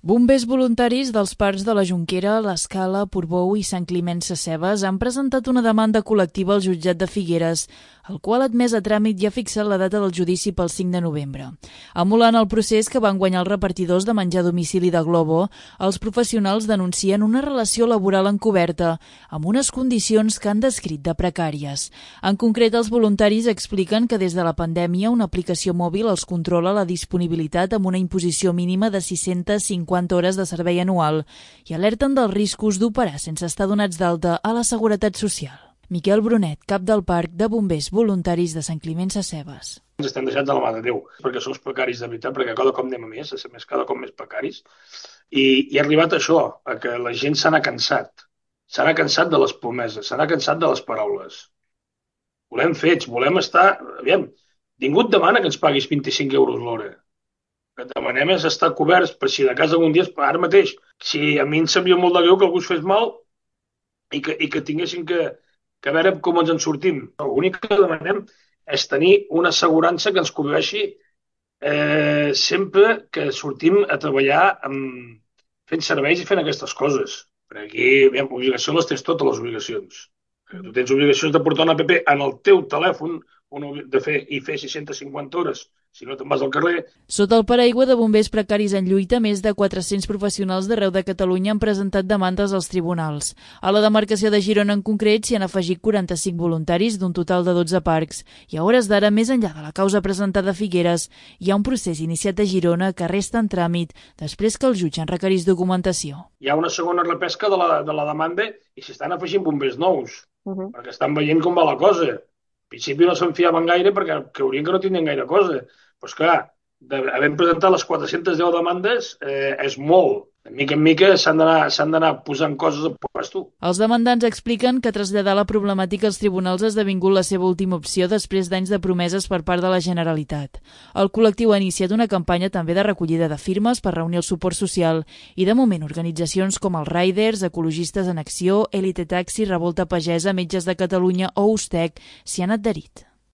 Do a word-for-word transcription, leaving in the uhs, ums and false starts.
Bombers voluntaris dels parcs de la Jonquera, l'Escala, Portbou i Sant Climent Sescebes han presentat una demanda col·lectiva al jutjat de Figueres, el qual ha admès a tràmit i ha fixat la data del judici pel cinc de novembre. Emulant el procés que van guanyar els repartidors de menjar a domicili de Globo, els professionals denuncien una relació laboral encoberta, amb unes condicions que han descrit de precàries. En concret, els voluntaris expliquen que des de la pandèmia una aplicació mòbil els controla la disponibilitat amb una imposició mínima de sis-centes cinquanta hores de servei anual i alerten dels riscos d'operar sense estar donats d'alta a la Seguretat Social. Miquel Brunet, cap del Parc de Bombers Voluntaris de Sant Climent Sescebes. Ens estem deixant de la mà de Déu, perquè som precaris de veritat, perquè cada cop anem a més, a ser més cada cop més precaris, i, i ha arribat això, a que la gent se n'ha cansat. Se n'ha cansat de les promeses, se n'ha cansat de les paraules. Volem fets, volem estar... Aviam, ningú et demana que ens paguis vint-i-cinc euros l'hora. El que demanem és estar coberts per si de cas algun dia, ara mateix, si a mi em sabia molt de greu que algú es fes mal i que, i que tinguessin que, que a veure com ens en sortim. L'únic que demanem és tenir una assegurança que ens cobreixi eh, sempre que sortim a treballar amb, fent serveis i fent aquestes coses. Perquè aquí, aviam, obligacions les tens totes les obligacions. Tu tens obligacions de portar una app en el teu telèfon de fer i fer sis-centes cinquanta hores, si no te'n vas al carrer. Sota el paraigua de bombers precaris en lluita, més de quatre-cents professionals d'arreu de Catalunya han presentat demandes als tribunals. A la demarcació de Girona en concret s'hi han afegit quaranta-cinc voluntaris d'un total de dotze parcs. I a hores d'ara, més enllà de la causa presentada a Figueres, hi ha un procés iniciat a Girona que resta en tràmit després que el jutge en requerís documentació. Hi ha una segona repesca de la, de la demanda i s'hi estan afegint bombers nous, uh -huh. perquè estan veient com va la cosa. Al principi no se'n fiaven gaire perquè creurien que no tindrien gaire cosa. Però esclar, havent presentat les quatre-centes deu demandes eh, és molt. De mica en mica s'han d'anar posant coses a puesto. Els demandants expliquen que traslladar la problemàtica als tribunals ha esdevingut la seva última opció després d'anys de promeses per part de la Generalitat. El col·lectiu ha iniciat una campanya també de recollida de firmes per reunir el suport social i de moment organitzacions com els Riders, Ecologistes en Acció, Elite Taxi, Revolta Pagesa, Metges de Catalunya o Ustec s'hi han adherit.